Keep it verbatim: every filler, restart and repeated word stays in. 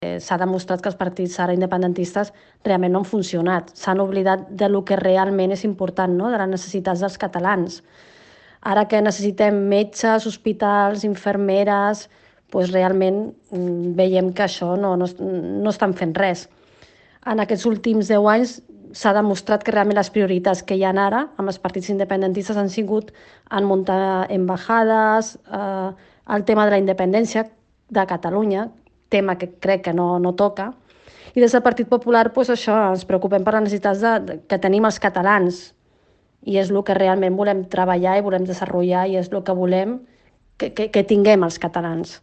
S'ha demostrat que els partits ara independentistes realment no han funcionat. S'han oblidat de lo que realment és important, no? De les necessitats dels catalans. Ara que necessitem metges, hospitals, infermeres, doncs realment veiem que això no, no, no estan fent res. En aquests últims deu anys s'ha demostrat que realment les prioritats que hi ha ara amb els partits independentistes han sigut en muntar embajades, eh, el tema de la independència de Catalunya, tema que crec que no, no toca, i des del Partit Popular doncs això, ens preocupem per les necessitats de, de, que tenim els catalans, i és el que realment volem treballar i volem desenvolupar i és el que volem que, que, que tinguem els catalans.